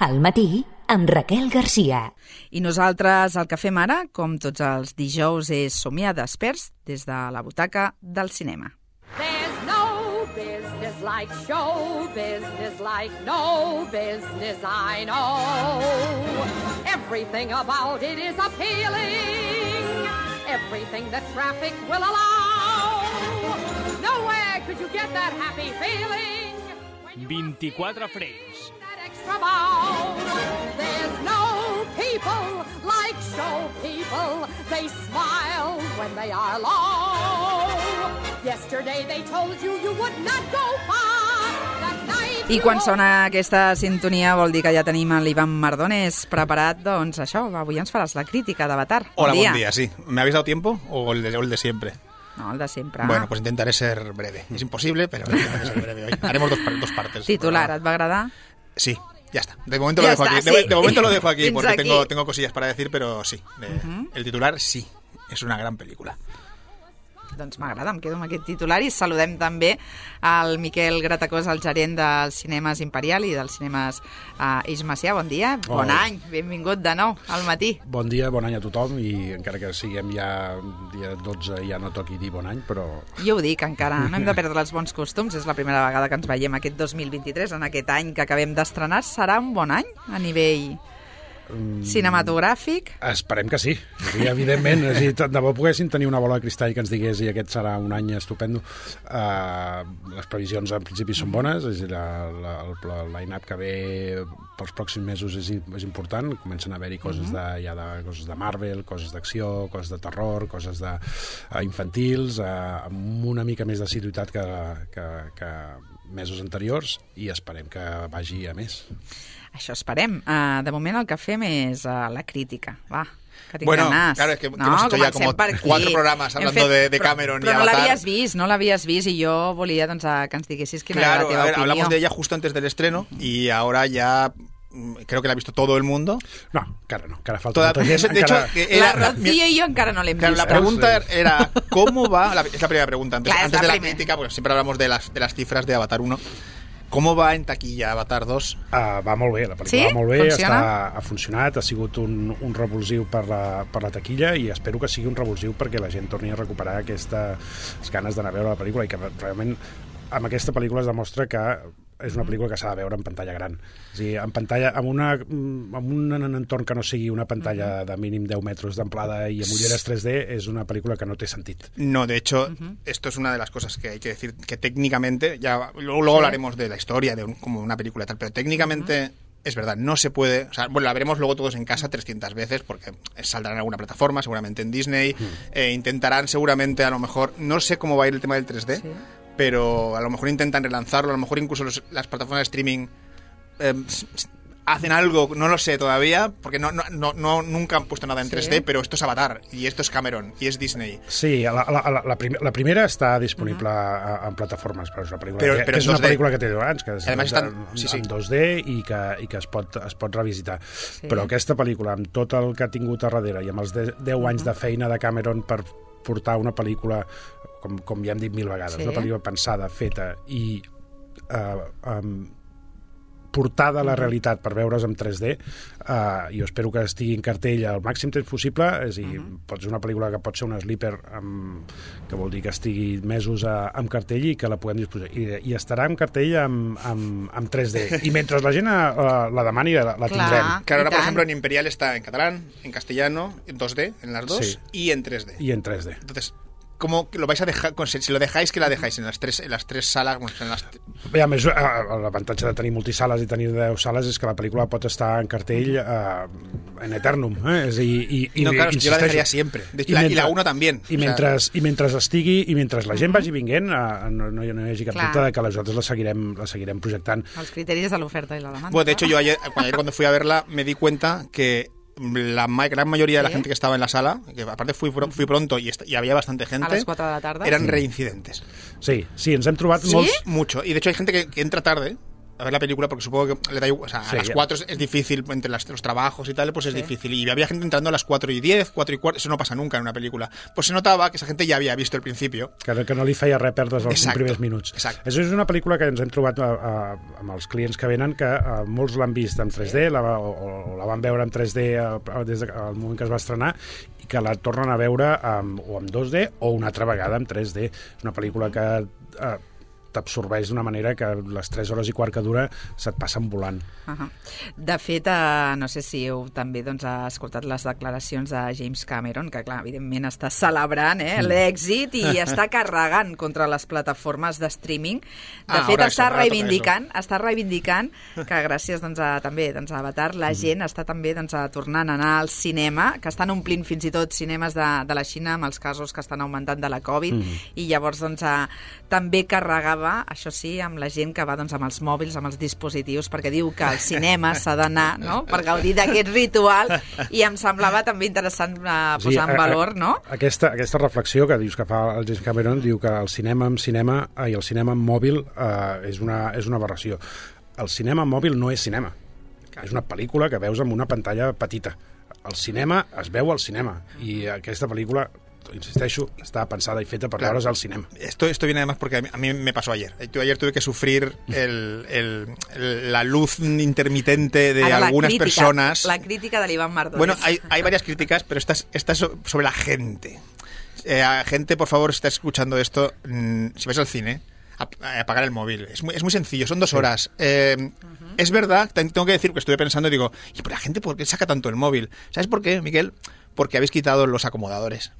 Al matí, amb Raquel Garcia. I nosaltres el que fem ara, com tots els dijous, és somiar desperts des de la butaca del cinema. There's no business like show business, like no business I know. Everything about it is appealing, everything that traffic will allow. Nowhere could you get that happy feeling. 24 frames. There's no people like show people. They smile when they are low. Yesterday they told you you would not go far. That night I quan sona aquesta sintonia vol dir que ja tenim l'Ivan Mardones preparat, doncs això, avui ens faràs la crítica d'Avatar. Hola, buen día, sí. ¿Me habéis dado tiempo o el de siempre? No, el de siempre. Bueno, pues intentaré ser breve. Es imposible, pero intentaré ser breve hoy. Haremos dos partes. Titular, ¿et va agradar? Sí, ya está. De momento ya lo dejo está, aquí. sí. De momento lo dejo aquí porque aquí. tengo cosillas para decir, pero sí. El titular sí, es una gran película. Doncs m'agrada, em quedo amb aquest titular i saludem també al Miquel Gratacós, el gerent dels Cinemes Imperial i dels Cinemes Eix Macià. Bon dia, bon any, benvingut de nou al matí. Bon dia, bon any a tothom i encara que siguem ja dia 12 ja no toqui dir bon any, però... Jo ho dic, encara no hem de perdre els bons costums, és la primera vegada que ens veiem aquest 2023, en aquest any que acabem d'estrenar. Serà un bon any a nivell cinematogràfic? Esperem que sí, evidentment. De bo poguéssim tenir una bola de cristall que ens digués i aquest serà un any estupendo. Les previsions en principi són bones, és a dir, el line-up que ve pels pròxims mesos és important. Comencen a haver-hi coses coses de Marvel, coses d'acció, coses de terror, coses infantils, amb una mica més d'assiduïtat que mesos anteriors, i esperem que vagi a més. Això esperem. De moment el que fem és la crítica. Va, que tinc Bueno, ganas. claro, es que hemos hecho ya como 4 programas hablando de Cameron y Però Avatar. no l'havies vist i jo volia que ens diguessis quina era la Claro, teva a ver, opinió. hablamos de ella justo antes del estreno y ahora ya creo que la ha visto todo el mundo. No, encara falta molta gent. De hecho, La Rocío i jo encara no l'hem Claro, vist. la pregunta era ¿cómo va? Es la primera pregunta antes Claro, de la crítica, porque siempre hablamos de las cifras de Avatar 1. ¿Cómo va en taquilla Avatar 2? Va molt bé, la pel·lícula Sí? va molt bé, Funciona? ha funcionat, ha sigut un revulsiu per la taquilla, i espero que sigui un revulsiu perquè la gent torni a recuperar aquestes ganes d'anar a veure la pel·lícula, i que realment amb aquesta pel·lícula es demostra que és una pel·lícula que s'ha de veure en pantalla gran. És a dir, en pantalla, amb un entorn que no sigui una pantalla de mínim 10 metres d'amplada i amb ulleres 3D, és una pel·lícula que no té sentit. No, de hecho, esto es una de las cosas que hay que decir, que técnicamente, ya luego hablaremos de la historia, como una película y tal, pero técnicamente... Es verdad, no se puede... O sea, bueno, la veremos luego todos en casa 300 veces porque saldrá en alguna plataforma, seguramente en Disney. Intentarán seguramente, a lo mejor... No sé cómo va a ir el tema del 3D, sí, pero a lo mejor intentan relanzarlo. A lo mejor incluso las plataformas de streaming hacen algo, no lo sé todavía, porque nunca han puesto nada en 3D, pero esto es Avatar, y esto es Cameron, y es Disney. Sí, la primera està disponible en plataformes, però és una pel·lícula, però és una pel·lícula que té 10 anys, que és en 2D i que es pot revisitar. Sí. Però aquesta pel·lícula, amb tot el que ha tingut a darrere i amb els 10 anys de feina de Cameron per portar una pel·lícula, com ja hem dit 1000 vegades, una pel·lícula pensada, feta i portada a la realitat per veure's en 3D, jo espero que estigui en cartell el màxim temps possible. És a dir, pot ser una pel·lícula que pot ser una sleeper, que vol dir que estigui mesos en cartell i que la puguem disposar, i estarà en cartell amb 3D, i mentre la gent la demani la tindrem. Claro, ahora por ejemplo en Imperial está en catalán, en castellano, en 2D, en las dos, sí, y en 3D. Y en 3D. Entonces, ¿cómo lo vais a dejar? Si lo dejáis, ¿qué la dejáis? En las tres salas. I a més, l'avantatge de tenir multisales i tenir 10 sales és que la pel·lícula pot estar en cartell en eternum. No, claro, yo la dejaría siempre. Y la 1 también. I mentre estigui, i mentre la gent vagi vinguent, no hi hagi cap dubte de que nosaltres la seguirem projectant. Els criteris de l'oferta i la demanda. Bueno, de hecho, yo ayer cuando fui a verla me di cuenta que la gran mayoría de la gente que estaba en la sala, que aparte fui pronto y había bastante gente, a las 4 de la tarde, eran reincidentes. Sí, ens hem trobat molts. Mucho. Y de hecho hay gente que entra tarde a ver la película porque supongo que le da igual, o sea, Sí, a las 4 es difícil, entre los trabajos y tal, pues es difícil. Y había gente entrando a las 4:10, 4:15, eso no pasa nunca en una película. Pues se notaba que esa gente ja havia vist el principio. Que no li feia res perdre's els Exacto, primers minuts. exacte. Això és una pel·lícula que ens hem trobat amb els clients que venen, que molts l'han vist en 3D, o la van veure en 3D des del moment que es va estrenar, i que la tornen a veure o en 2D o una altra vegada en 3D. És una pel·lícula que t'absorbeix d'una manera que les 3 hores i quart que dura se't passen volant. De fet, no sé si heu també ha escoltat les declaracions de James Cameron, que clar, evidentment està celebrant l'èxit i està carregant contra les plataformes de streaming. De fet, està reivindicant que gràcies també a Avatar la gent està també tornant a anar al cinema, que estan omplint fins i tot cinemes de la Xina amb els casos que estan augmentant de la Covid, i llavors també carregava, això sí, amb la gent que va amb els mòbils, amb els dispositius, perquè diu que al cinema s'ha d'anar, no?, per gaudir d'aquest ritual, i em semblava també interessant posar en valor, no? Aquesta reflexió que dius que fa el James Cameron, diu que el cinema amb mòbil és una aberració. El cinema amb mòbil no és cinema. És una pel·lícula que veus amb una pantalla petita. El cinema es veu al cinema, i aquesta pel·lícula, insisteixo, está pensada y feta para veure's al cinema. Esto viene además porque a mí me pasó ayer. Ayer tuve que sufrir la luz intermitente de algunas personas. La crítica de Iván Mardones. Bueno, hay varias críticas, pero esta es sobre la gente. Gente, por favor, si estás escuchando esto, si vais al cine, apagar el móvil. Es muy sencillo, son 2 horas. Es verdad, tengo que decir que estuve pensando y digo, ¿y por la gente por qué saca tanto el móvil? ¿Sabes por qué, Miquel? Porque habéis quitado los acomodadores.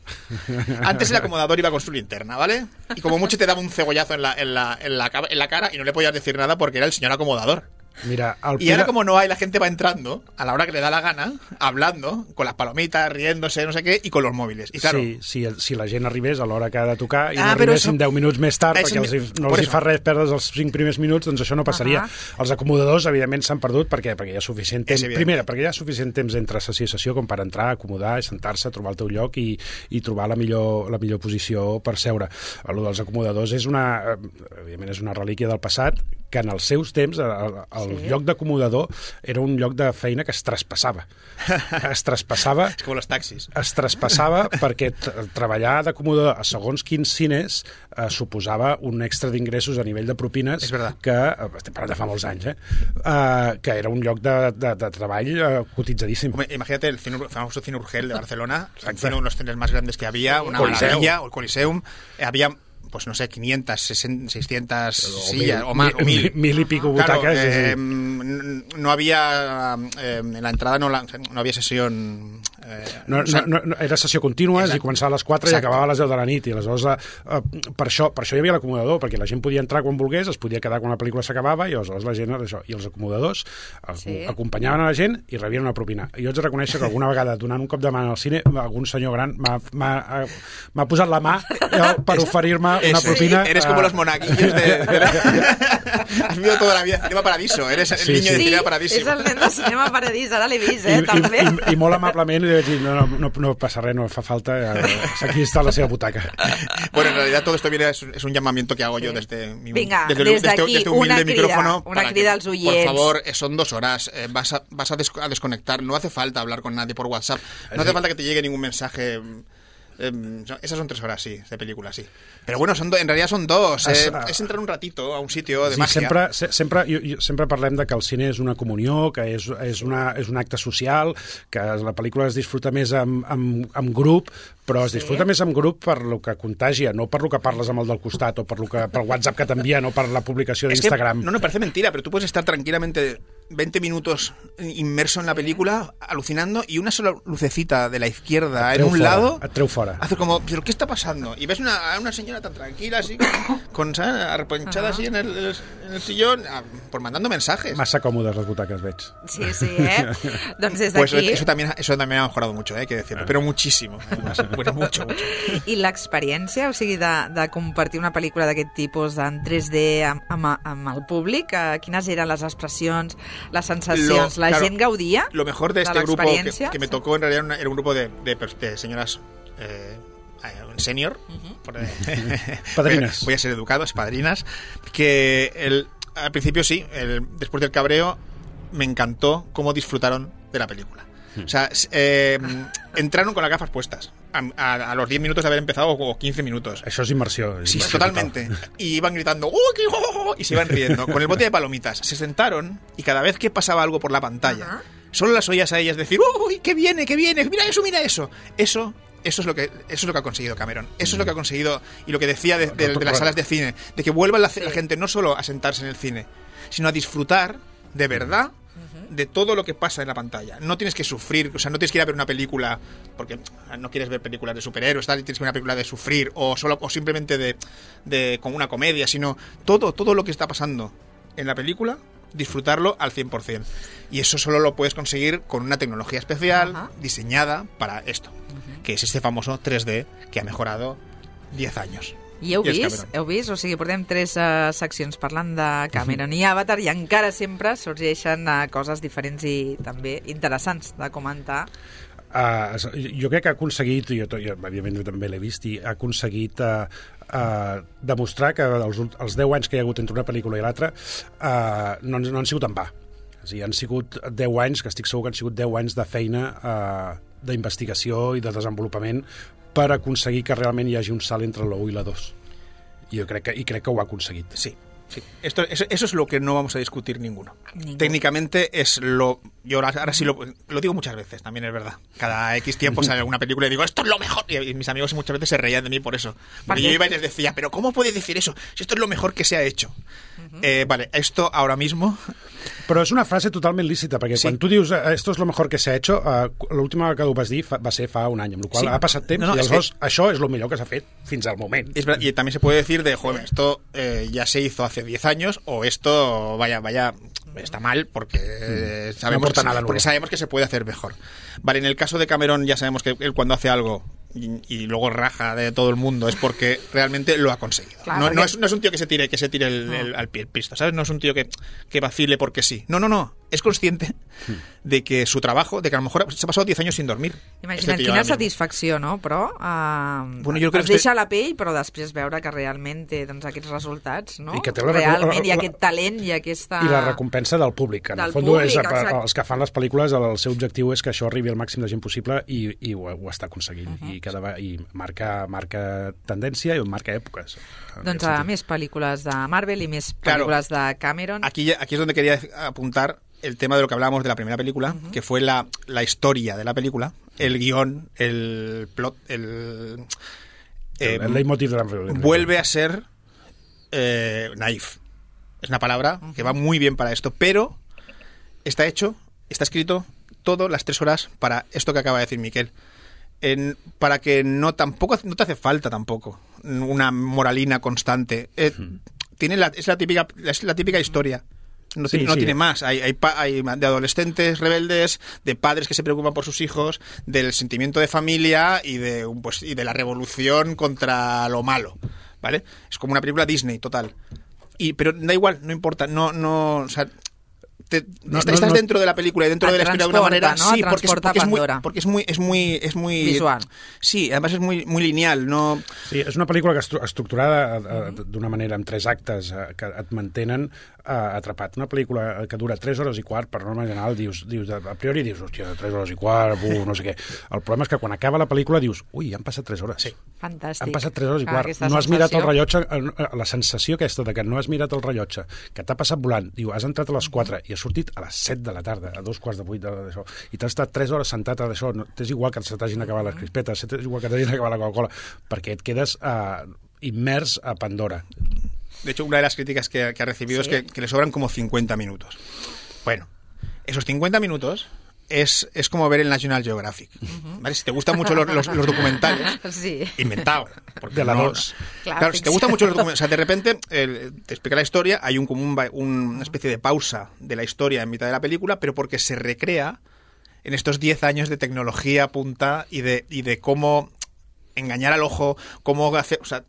Antes el acomodador iba con su linterna, ¿vale? Y como mucho te daba un cegollazo en la cara y no le podías decir nada porque era el señor acomodador. Mira, y ahora como no hay, la gente va entrando a la hora que le da la gana, hablando, con las palomitas, riéndose, no sé què, i con los móviles. I claro, si la gent arribés a l'hora que ha de tocar i no arribessin 10 minuts més tard perquè no els hi fa res perdre's els 5 primers minuts, doncs això no passaria. Els acomodadors, evidentment, s'han perdut perquè hi ha suficient temps. Primera, perquè hi ha suficient temps entre sessió i sessió com per entrar, acomodar, sentar-se, trobar el teu lloc i trobar la millor posició per seure. El dels acomodadors evidentment és una relíquia del passat, que en els seus temps el lloc d'acomodador era un lloc de feina que es traspassava. Es traspassava... És com els taxis. Es traspassava perquè treballar d'acomodador a segons quins cines suposava un extra d'ingressos a nivell de propines que, estem parlant de fa molts anys, que era un lloc de treball cotitzadíssim. Imagínate el famoso Cine Urgell de Barcelona, uno de los cines más grandes que había, una maravilla, o el Coliseum, había... pues no sé, 500, 600 sillas o más, o 1000. 1000 y pico butacas. Claro, no había, en la entrada no había sesión... No, era sessió contínua i començava a les 4 i acabava a les 10 de la nit, i aleshores per això hi havia l'acomodador, perquè la gent podia entrar quan volgués, es podia quedar quan la pel·lícula s'acabava, i aleshores la gent era això, i els acomodadors acompanyaven a la gent i rebien una propina. Jo haig de reconèixer que alguna vegada, donant un cop de mà al cine, algun senyor gran m'ha posat la mà per oferir-me una propina. Eres como los monaguillos has vivido toda la vida Cinema Paradiso, eres el niño de Cinema Paradiso. És el nen de Cinema Paradís, ara l'he vist, també. I molt amablement li vaig dir, no passa res, no fa falta, aquí està la seva butaca. Bueno, en realidad todo esto es un llamamiento que hago yo desde aquí humilde micrófono. Una crida als oients. Por favor, son 2 horas, vas a desconectar, no hace falta hablar con nadie por WhatsApp, no hace falta que te llegue ningún mensaje. Esas son 3 horas, sí, de película, sí. Pero bueno, en realidad son 2. Es entrar un ratito a un sitio de màgia. Sempre parlem de que el cine és una comunió, que és un acte social, que la pel·lícula es disfruta més amb grup, però es disfruta més amb grup per lo que contagia, no per lo que parles amb el del costat o per WhatsApp que t'envien o per la publicació d'Instagram. No, parece mentira, pero tú puedes estar tranquilamente 20 minutos inmerso en la película, alucinando, y una sola lucecita de la izquierda en un lado et treu fora. Hace como, ¿pero qué está pasando? Y ves a una señora tan tranquila, así, arrepanchada así en el sillón, pues mandando mensajes. Massa còmodes les butaques, veig. Sí, doncs des pues d'aquí... Eso también ha mejorado mucho, hay que decirlo, pero muchísimo. Bueno, mucho. I l'experiència, o sigui, de compartir una pel·lícula d'aquest tipus en 3D amb el públic, quines eren les expressions, les sensacions? La gent gaudia? Lo mejor de este grupo que me tocó en realidad era un grupo de señoras senior, padrinas. Voy a ser educado, es padrinas, que al principio sí, después del cabreo me encantó cómo disfrutaron de la película. O sea, entraron con las gafas puestas a los 10 minutos de haber empezado o 15 minutos. Això és immersió. Sí, totalmente. Y iban gritando y se iban riendo con el bote de palomitas. Se sentaron y cada vez que pasaba algo por la pantalla, solo las oías a ellas decir ¡uy, qué viene, mira eso, mira eso! Eso es lo que ha conseguido Cameron. Eso es lo que ha conseguido, y lo que decía de las salas de cine, de que vuelva la gente no solo a sentarse en el cine, sino a disfrutar de verdad de todo lo que pasa en la pantalla. No tienes que sufrir, o sea, no tienes que ir a ver una película porque no quieres ver películas de superhéroes, tal, y tienes que ver una película de sufrir o simplemente de como una comedia, sino todo lo que está pasando en la película, disfrutarlo al 100%. Y eso solo lo puedes conseguir con una tecnología especial diseñada para esto, que es este famoso 3D que ha mejorado 10 años. I heu vist? O sigui, portem 3 seccions parlant de Cameron i Avatar i encara sempre sorgeixen coses diferents i també interessants de comentar. Jo crec que ha aconseguit, jo evidentment també l'he vist, i ha aconseguit demostrar que els 10 anys que hi ha hagut entre una pel·lícula i l'altra no han sigut en va. És a dir, han sigut 10 anys, que estic segur que han sigut 10 anys de feina d'investigació i de desenvolupament per aconseguir que realment hi hagi un salt entre la 1 i la 2. Jo crec que ho ha aconseguit. Sí. Eso es lo que no vamos a discutir ninguno. Técnicamente es lo... Yo ahora sí lo digo muchas veces, también es verdad. Cada X tiempo sale alguna película y digo, esto es lo mejor. Y mis amigos muchas veces se reían de mí por eso. Porque yo iba y les decía, pero ¿cómo puedes decir eso? Si esto es lo mejor que se ha hecho. Vale, esto ahora mismo... Però és una frase totalment lícita, perquè quan tu dius esto es lo mejor que se ha hecho, l'última vegada que ho vas dir va ser fa un any, amb la qual ha passat temps, i aleshores això és el millor que s'ha fet fins al moment. Y también se puede decir de, joder, esto ya se hizo hace 10 años, o esto, vaya, está mal, porque sabemos que se puede hacer mejor. Vale, en el caso de Cameron ya sabemos que él cuando hace algo y luego raja de todo el mundo es porque realmente lo ha conseguido. Claro, no es un tío que se tire al pie el pisto, ¿sabes? No es un tío que vacile porque sí. No. Es consciente de que su trabajo, de que a lo mejor se ha pasado 10 años sin dormir. Imagina't quina satisfacció, no? Però bueno, jo crec es deixa la pell, però després veure que realment té aquests resultats, no? I que té realment hi ha aquest talent i aquesta... I la recompensa del públic. En el fons, els que fan les pel·lícules, el seu objectiu és que això arribi al màxim de gent possible i ho està aconseguint. I marca tendència i marca èpoques. Doncs més pel·lícules de Marvel i més pel·lícules de Cameron. Aquí es donde quería apuntar el tema de lo que hablábamos de la primera película, que fue la historia de la película, el guión, el plot, el leitmotiv de la película. Vuelve a ser naif. Es una palabra que va muy bien para esto, pero está escrito todo las 3 horas para esto que acaba de decir Miquel. Para que no te hace falta tampoco una moralina constante. Es la típica historia. No tiene más. Hay de adolescentes rebeldes, de padres que se preocupan por sus hijos, del sentimiento de familia y de la revolución contra lo malo, ¿vale? Es como una película Disney total. Pero da igual, no importa, o sea, estás dentro de la película y dentro de la historia de una manera, ¿no? Sí, porque es muy visual. Sí, además es muy lineal, no. Sí, és una pel·lícula estructurada d'una manera amb 3 actes que et mantenen atrapat. Una pel·lícula que dura 3 hores i quart, per norma general, a priori dius, hòstia, 3 hores i quart, no sé què. El problema és que quan acaba la pel·lícula dius, ui, han passat 3 hores. Sí. Fantàstic. Han passat 3 hores i quart. No has mirat el rellotge, la sensació aquesta de que no has mirat el rellotge, que t'ha passat volant, diu, has entrat a les 4 i has sortit a les 7 de la tarda, a 2:45 d'això, i t'has estat 3 hores sentat a d'això, t'és igual que se t'hagin acabat les crispetes, t'és igual que t'hagin acabat la Coca-Cola, perquè et quedes immers a Pandora. De hecho, una de las críticas que ha recibido es que le sobran como 50 minutos. Bueno, esos 50 minutos es como ver el National Geographic. ¿Vale? Si te gustan mucho los documentales, inventado. Porque de la 2. Claro, si te gustan mucho los documentales, o sea, de repente te explica la historia, hay una especie de pausa de la historia en mitad de la película, pero porque se recrea en estos 10 años de tecnología punta y de cómo engañar al ojo, cómo hacer, o sea,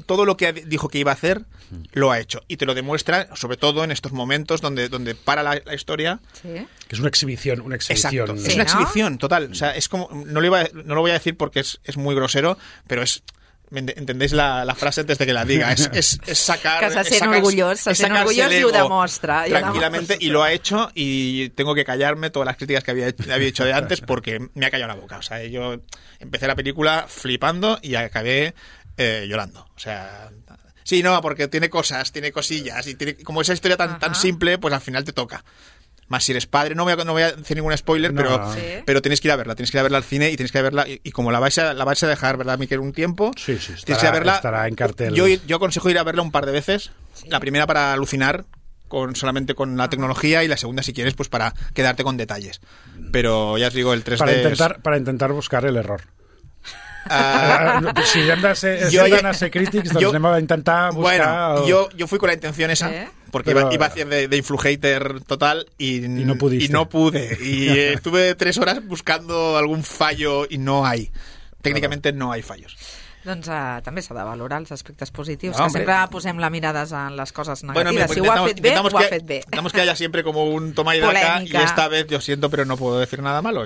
todo lo que dijo que iba a hacer lo ha hecho y te lo demuestra, sobre todo en estos momentos donde para la historia. Sí. Que es una exhibición. Exacto, es una exhibición total. O sea, es como no lo voy a decir porque es muy grosero, pero es entendéis la frase antes de que la diga. Es sacar... Que se sent orgullós, y ho demostra. Tranquilamente, y lo ha hecho, y tengo que callarme todas las críticas que había hecho de antes porque me ha callado la boca. O sea, yo empecé la película flipando y acabé llorando. O sea... Sí, no, porque tiene cosas, tiene cosillas, y como esa historia tan simple, pues al final te toca. Más si eres padre, no voy a decir ningún spoiler, pero tienes que ir a verla al cine y tienes que ir a verla, y como la vais a dejar, ¿verdad, Miquel? Un tiempo, tienes que ir a verla. Estará en cartel. Yo aconsejo ir a verla un par de veces. Sí. La primera para alucinar solamente con la tecnología, y la segunda, si quieres, pues para quedarte con detalles. Pero ya os digo, el 3D... Para intentar buscar el error. Si hem de ser crítics, doncs anem a intentar buscar... Bueno, yo fui con la intención esa, porque iba a hacer de influhater total y no pude. Y estuve 3 horas buscando algún fallo y no hay. Técnicamente no hay fallos. Doncs també s'ha de valorar els aspectes positius, que sempre posem la mirada en les coses negatives. Si ho ha fet bé, ho ha fet bé. Intentamos que haya siempre como un toma y daca, y esta vez yo siento, pero no puedo decir nada malo.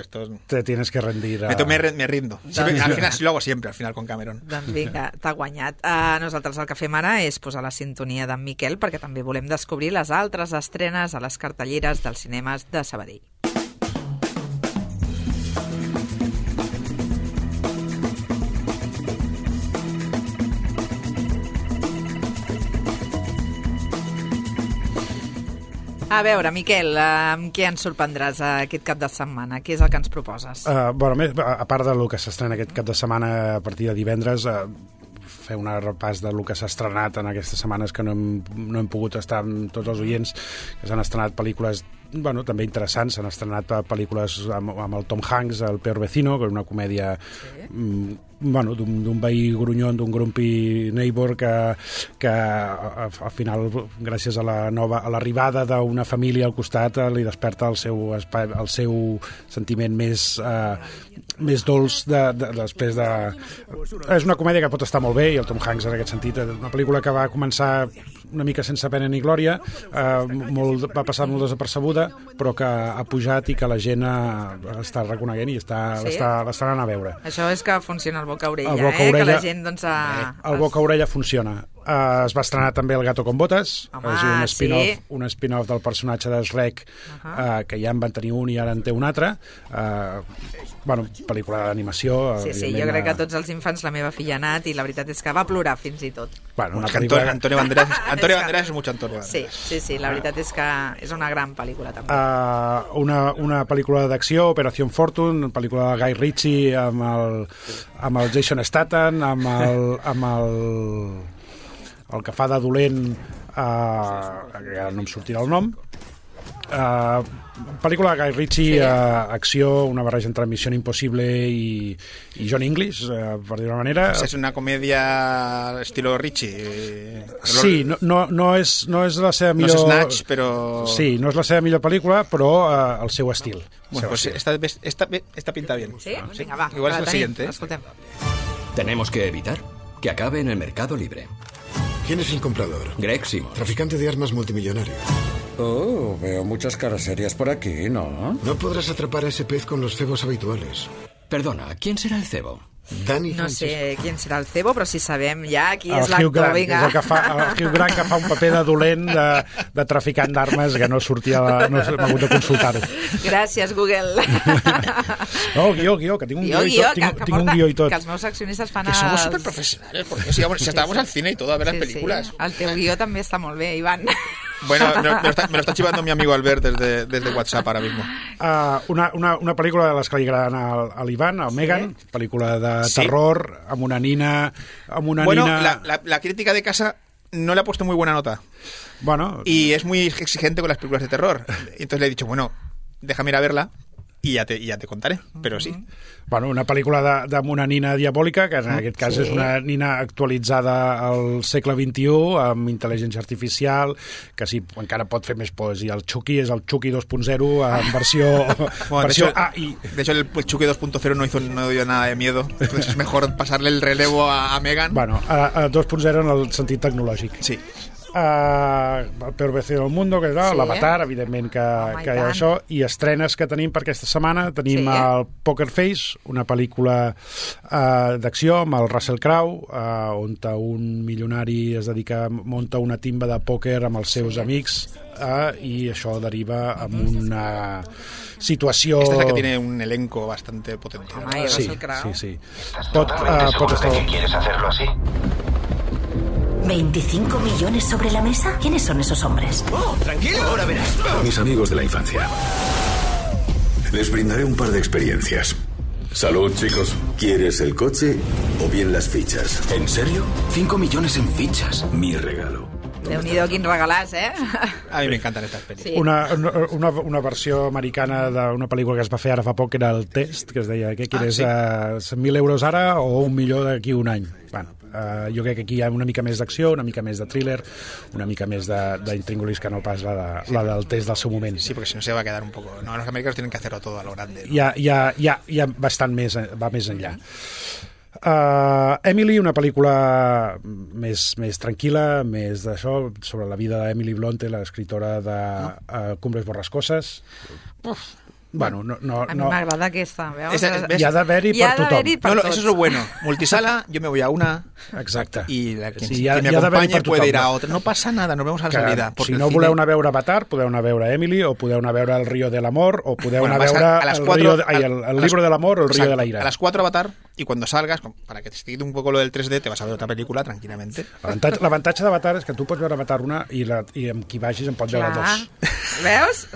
Te tienes que rendir. Me rindo. Siempre, al final, sí lo hago siempre, al final, con Cameron. Doncs vinga, t'ha guanyat. Nosaltres el que fem ara és posar la sintonia d'en Miquel, perquè també volem descobrir les altres estrenes a les cartelleres dels cinemes de Sabadell. A veure, Miquel, amb què ens sorprendràs aquest cap de setmana? Què és el que ens proposes? A part del que s'estrena aquest cap de setmana a partir de divendres, fer un repàs del que s'ha estrenat en aquestes setmanes, que no hem pogut estar amb tots els oients, que s'han estrenat pel·lícules també interessants. S'han estrenat pel·lícules amb el Tom Hanks, El peor vecino, que és una comèdia d'un veí grunyon, d'un grumpy neighbor que al final, gràcies a l'arribada d'una família al costat, li desperta el seu sentiment més dolç després de... És una comèdia que pot estar molt bé, i el Tom Hanks en aquest sentit, una pel·lícula que va començar una mica sense pena ni glòria, va passar molt desapercebuda, però que ha pujat i que la gent està reconeguent i l'està anant a veure. Això és que funciona el boca-orella, que la gent doncs... El boca-orella funciona. Es va estrenar també El gato con botas, un spin-off del personatge de Shrek, que ja en van tenir un i ara en té un altre. Pel·lícula d'animació. Sí, jo crec que tots els infants, la meva filla ha anat, i la veritat és que va plorar fins i tot. Antonio Banderas és mucho Antonio Banderas. Sí, la veritat és que és una gran pel·lícula també. Una pel·lícula d'acció, Operación Fortune, una pel·lícula de Guy Ritchie amb el Jason Statham, amb el que fa de dolent, ara no em sortirà el nom. Pel·lícula de Guy Ritchie, acció, una barreja entre Misión Impossible i John English, per dir una manera. És una comèdia estilo Ritchie. Sí, no és la seva millor... No és Snatch, però... Sí, no és la seva millor pel·lícula, però el seu estil. Bueno, pues esta pinta bien. Sí? Vinga, va. Igual es el siguiente. Escoltem. Tenemos que evitar que acabe en el mercado libre. ¿Quién es el comprador? Greg Simon. Traficante de armas multimillonario. Oh, veo muchas caras serias por aquí, ¿no? No podrás atrapar a ese pez con los cebos habituales. Perdona, ¿quién será el cebo? Dani no Francesco. Sé quién serà el cebo, però si sabem ja qui és l'actor. El Hugh Grant, que fa un paper de dolent, de traficant d'armes, que no sortia, no m'ha hagut de consultar-ho. Gràcies, Google. No, guió, que tinc un guió i tot. Tinc un guió i tot. Que els meus accionistes fan que somos superprofesionales, porque si estábamos al cine y todo a ver las películas. Sí. El teu guió també està molt bé, Iván. Bueno, me lo está chivando mi amigo Albert desde WhatsApp ahora mismo. Una pel·lícula de les que li agraden a l'Ivan, al Megan, pel·lícula de terror, amb una nina... La crítica de casa no le ha puesto muy buena nota. Bueno. Y es muy exigente con las películas de terror. Entonces le he dicho, bueno, déjame ir a verla i ja te contaré, però sí. Bueno, una pel·lícula amb una nina diabòlica, que en aquest cas és una nina actualitzada al segle XXI, amb intel·ligència artificial, que sí, encara pot fer més por. I el Chucky és el Chucky 2.0 en versió AI. De hecho, el Chucky 2.0 no dio nada de miedo, entonces es mejor pasarle el relevo a Megan. Bueno, a 2.0 en el sentit tecnològic. Sí. El peor vecino del mundo, que és l'Avatar, evidentment que hi ha això, i estrenes que tenim per aquesta setmana, tenim el Poker Face, una pel·lícula d'acció amb el Russell Crowe, on un milionari es munta una timba de pòquer amb els seus amics, i això deriva en una situació... Esta es la que tiene un elenco bastante potente. Sí. ¿Estás seguro de que quieres hacerlo así? 25 millones sobre la mesa. ¿Quiénes son esos hombres? Oh, tranquilo, ahora verás. Mis amigos de la infancia. Les brindaré un par de experiencias. Salud, chicos. ¿Quieres el coche o bien las fichas? ¿En serio? 5 millones en fichas. Mi regalo. Déu-n'hi-do, quins regalats, A mi m'encanten estas pel·lícules. Sí. Una versió americana d'una pel·lícula que es va fer ara fa poc, que era El Test, que es deia, què quieres, 100.000 euros ara o 1 milió d'aquí un any? Bueno, jo crec que aquí hi ha una mica més d'acció, una mica més de thriller, una mica més d'intríngulis que no pas la del Test del seu moment. Sí, porque si no se va a quedar un poco... No, los americanos tienen que hacerlo todo a lo grande, ¿no? Hi ha bastant més, va més enllà. Emily, una pel·lícula més tranquil·la, més d'això, sobre la vida d'Emily Bronte, l'escriptora de Cumbres Borrascoses. Bueno, a mi m'agrada aquesta, veus? Hi ha d'haver-hi per tothom. Eso es lo bueno. Multisala, yo me voy a una. Exacte. Y quien me acompañe puede ir a otra. No pasa nada, nos vemos a la salida. Si no voleu anar a veure Avatar, podeu anar a veure Emily, o podeu anar a veure El Río del Amor, o podeu anar a veure el Libro del Amor o El Río de la Ira. A las 4 Avatar, y cuando salgas, para que te estigui un poco lo del 3D, te vas a ver otra película tranquilamente. L'avantatge d'Avatar és que tu pots veure Avatar una i amb qui vagis en pots veure dos. Veus?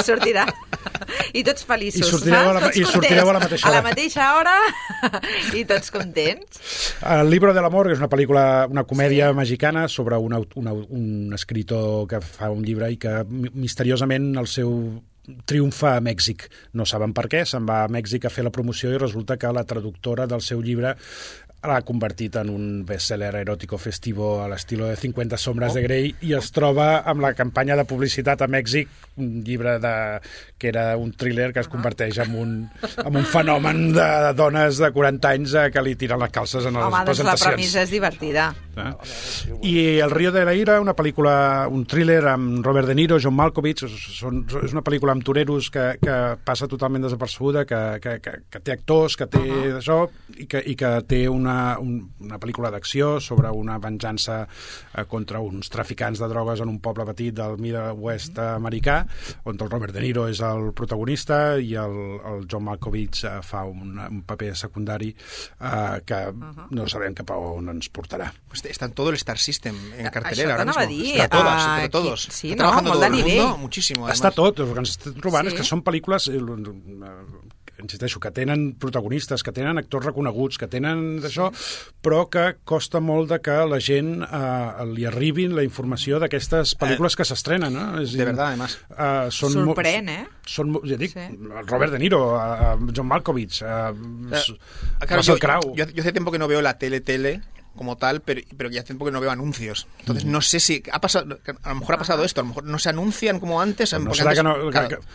Sortirà. I tots feliços. I sortireu a la mateixa hora. A la mateixa hora i tots contents. El Libro del Amor és una pel·lícula, una comèdia mexicana sobre un escritor que fa un llibre i que misteriosament el seu triomfa a Mèxic. No saben per què, se'n va a Mèxic a fer la promoció i resulta que la traductora del seu llibre l'ha convertit en un bestseller eròtico festivo a l'estil de 50 sombres de Grey i es troba amb la campanya de publicitat a Mèxic, un llibre que era un thriller que es converteix en un fenomen de dones de 40 anys que li tiren les calces en les presentacions. Home, doncs la premissa és divertida. I El Río de la Ira, una pel·lícula, un thriller amb Robert De Niro, John Malkovich, és una pel·lícula amb toreros que passa totalment desapercebuda, que té actors, que té això, i que té una pel·lícula d'acció sobre una venjança contra uns traficants de drogues en un poble petit del Midwest americà, on el Robert De Niro és el protagonista i el John Malkovich fa un paper secundari que no sabem cap a on ens portarà. Está en todo el Star System en cartelera ahora mismo. Está todas, entre todos. Sí, está trabajando molt todo de el nivell. mundo muchísimo. Además. Està tot, el que ens estem trobant és que són pel·lícules insisteixo, que tenen protagonistes, que tenen actors reconeguts, que tenen d'això, però que costa molt de que la gent li arribi la informació d'aquestes pel·lícules que s'estrenen, no? De verdad, además. Sorprèn, ja dic, Robert De Niro, John Malkovich, Russell Crowe. Yo hace tiempo que no veo la tele como tal, pero ya hace tiempo que no veo anuncios. Entonces no sé si ha pasado, a lo mejor ha pasado esto, a lo mejor no se anuncian como antes. No antes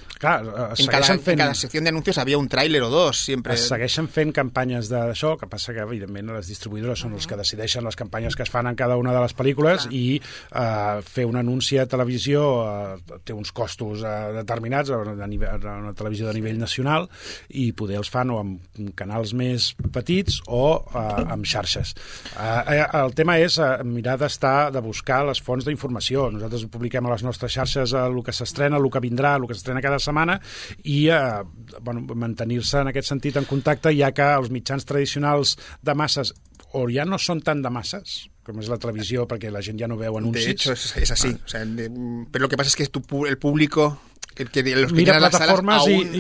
en cada sección de anuncios había un tráiler o dos, siempre. Es segueixen fent campanyes d'això, que passa que, evidentment, les distribuïdores són els que decideixen les campanyes que es fan en cada una de les pel·lícules i fer un anunci a televisió té uns costos determinats a una televisió de nivell nacional i poder els fan o amb canals més petits o amb xarxes. El tema és mirar de buscar les fonts d'informació. Nosaltres publiquem a les nostres xarxes el que s'estrena, el que vindrà, el que s'estrena cada setmana i mantenir-se en aquest sentit en contacte, ja que els mitjans tradicionals de masses o ja no són tan de masses, com és la televisió, perquè la gent ja no veu anuncis. De hecho, es así. O sea, pero lo que pasa es que el público... que los que mira tienen las salas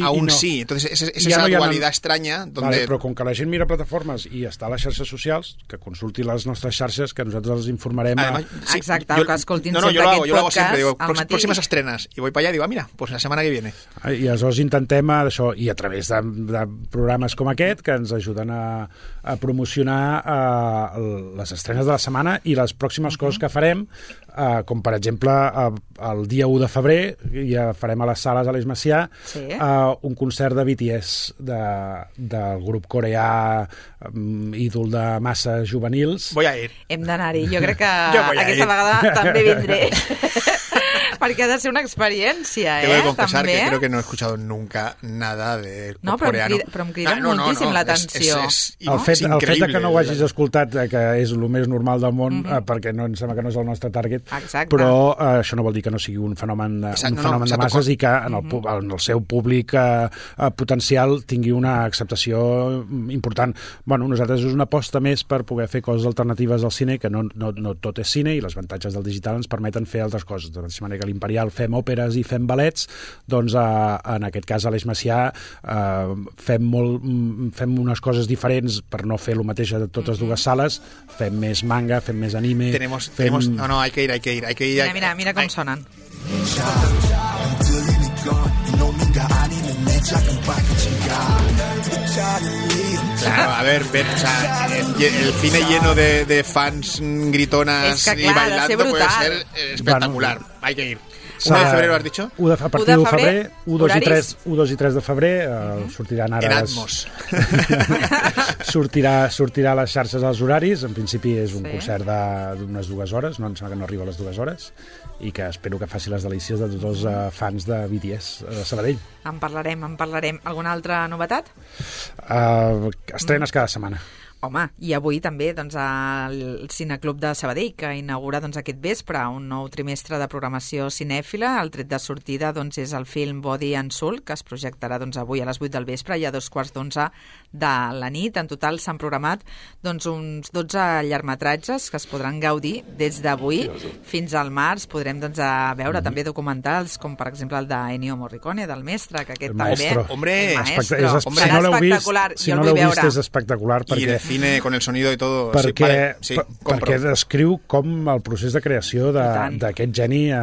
aún no. Sí, entonces es esa dualidad extraña donde... Vale, però com que la gent mira plataformes i està a les xarxes socials, que consulti les nostres xarxes, que nosaltres els informarem. Además, exacte, que escoltin sempre aquest podcast. Yo lo hago siempre, digo, próximas estrenas, y voy para allá, digo, mira, pues la semana que viene. I aleshores intentem això, i a través de programes com aquest, que ens ajuden a promocionar les estrenes de la setmana i les pròximes coses que farem, com per exemple el dia 1 de febrer ja farem a les sales a l'Eix Macià un concert de BTS del grup coreà ídol de masses juvenils. Voy a ir. Hem d'anar-hi. Jo crec que aquesta vegada també vindré. Perquè ha de ser una experiència, Tengo que confesar també. que creo que no he escuchado nunca nada de No, coreano. però em crida moltíssim l'atenció. El fet que no ho hagis escoltat, que és el més normal del món, perquè no em sembla que no és el nostre target, però això no vol dir que no sigui un fenomen de masses i que en el seu públic potencial tingui una acceptació important. Bueno, nosaltres és una aposta més per poder fer coses alternatives al cine, que no tot és cine, i les avantatges del digital ens permeten fer altres coses. De la mateixa manera que l'Imperial fem òperes i fem ballets, doncs en aquest cas a l'Eix Macià fem unes coses diferents per no fer el mateix a totes dues sales, fem més manga, fem més anime... No, hay que ir. Mira com sonen. Claro, a ver, el cine lleno de fans gritonas y bailando puede ser espectacular. Hay que ir. 1 de febrer, has dicho? A partir de febrer, 1, 2 i 3 de febrer, sortiran ara... En Atmos. sortirà a les xarxes als horaris. En principi és un concert d'unes 2 hores, no em sembla que no arriba a les 2 hores, i que espero que faci les delícies de tots els fans de BTS de Sabadell. En parlarem. Alguna altra novetat? Estrenes cada setmana. Home, i avui també doncs, el Cineclub de Sabadell, que inaugura doncs, aquest vespre un nou trimestre de programació cinèfila. El tret de sortida doncs, és el film Body and Soul, que es projectarà doncs, avui a les 8 del vespre i a 2:15 de la nit. En total s'han programat doncs, uns 12 llargmetratges que es podran gaudir des d'avui fins al març. Podrem doncs, veure també documentals com per exemple el d'Ennio Morricone, del Mestre, que aquest Maestro. també... El Maestro. Si no l'heu vist, és espectacular. I el cine con el sonido y todo. Perquè descriu com el procés de creació d'aquest geni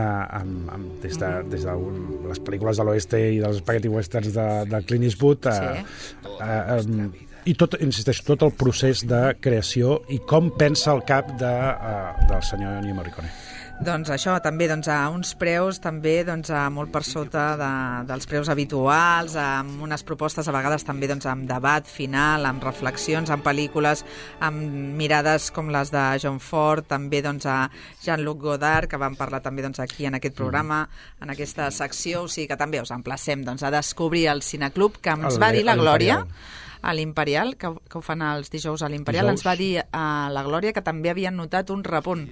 des de les pel·lícules de l'oeste i dels spaghetti westerns de Clint Eastwood i tot el procés de creació i com pensa el cap del senyor Ennio Morricone. Doncs això, també a uns preus també molt per sota dels preus habituals, amb unes propostes a vegades també amb debat final, amb reflexions, amb pel·lícules, amb mirades com les de John Ford, també a Jean-Luc Godard, que vam parlar també aquí en aquest programa, en aquesta secció, o sigui que també us emplacem a descobrir el Cineclub, que ens va dir la Glòria, a l'Imperial, que ho fan els dijous a l'Imperial, ens va dir a la Glòria que també havien notat un repunt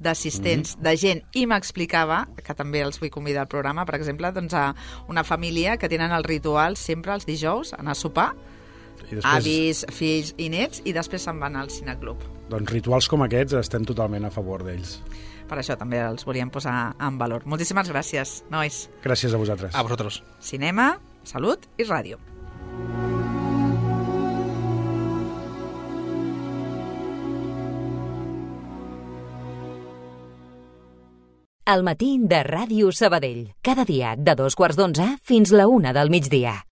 d'assistents, de gent, i m'explicava, que també els vull convidar al programa, per exemple, a una família que tenen el ritual sempre els dijous, anar a sopar, avis, fills i nets, i després se'n van al Cineclub. Doncs rituals com aquests estem totalment a favor d'ells. Per això també els volíem posar en valor. Moltíssimes gràcies, nois. Gràcies a vosaltres. A vosaltres. Cinema, salut i ràdio. El matí de Ràdio Sabadell. Cada dia de 2:15 fins la 1 del migdia.